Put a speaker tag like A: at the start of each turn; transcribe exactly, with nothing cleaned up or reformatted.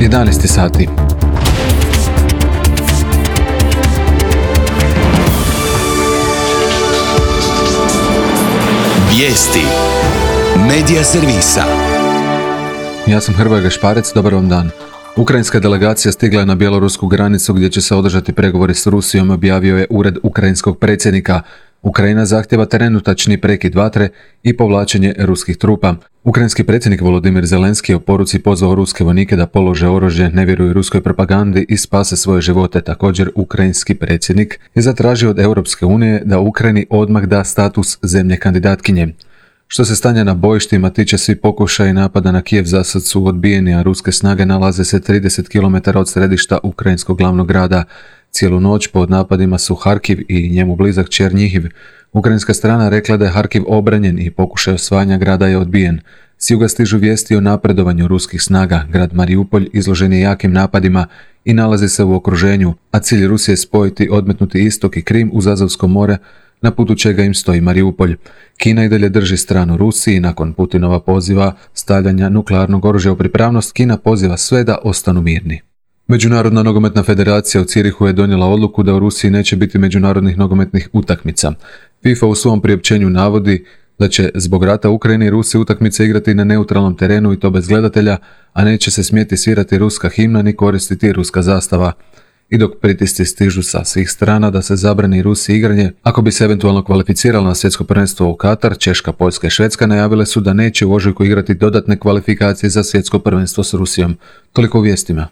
A: jedanaest sati.
B: Vijesti Medija servisa.
A: Ja sam Hrvoje Gašparec, dobar vam dan. Ukrajinska delegacija stigla je na bjelorusku granicu gdje će se održati pregovori s Rusijom, objavio je ured ukrajinskog predsjednika. Ukrajina zahtjeva trenutačni prekid vatre i povlačenje ruskih trupa. Ukrajinski predsjednik Volodimir Zelenski je u poruci pozvao ruske vojnike da polože oružje, ne vjeruju ruskoj propagandi i spase svoje živote. Također, ukrajinski predsjednik je zatražio od Europske unije da Ukrajini odmah da status zemlje kandidatkinje. Što se stanja na bojištima tiče, svi pokušaji napada na Kijev za sad su odbijeni, a ruske snage nalaze se trideset kilometara od središta ukrajinskog glavnog grada. Cijelu noć pod napadima su Harkiv i njemu blizak Černjihiv. Ukrajinska strana rekla da je Harkiv obranjen i pokušaj osvajanja grada je odbijen. S juga stižu vijesti o napredovanju ruskih snaga. Grad Mariupolj izložen je jakim napadima i nalazi se u okruženju, a cilj Rusije je spojiti odmetnuti istok i Krim uz Azovsko more, na putu čega im stoji Mariupolj. Kina i dalje drži stranu Rusiji. Nakon Putinova poziva stavljanja nuklearnog oružja u pripravnost, Kina poziva sve da ostanu mirni. Međunarodna nogometna federacija u Cirihu je donijela odluku da u Rusiji neće biti međunarodnih nogometnih utakmica. FIFA u svom priopćenju navodi da će zbog rata u Ukrajini Rusi utakmice igrati na neutralnom terenu i to bez gledatelja, a neće se smjeti svirati ruska himna ni koristiti ruska zastava. I dok pritisci stižu sa svih strana da se zabrani Rusiji igranje, ako bi se eventualno kvalificirala na svjetsko prvenstvo u Katar, Češka, Poljska i Švedska najavile su da neće u ožujku igrati dodatne kvalifikacije za svjetsko prvenstvo s Rusijom. Toliko u vijestima.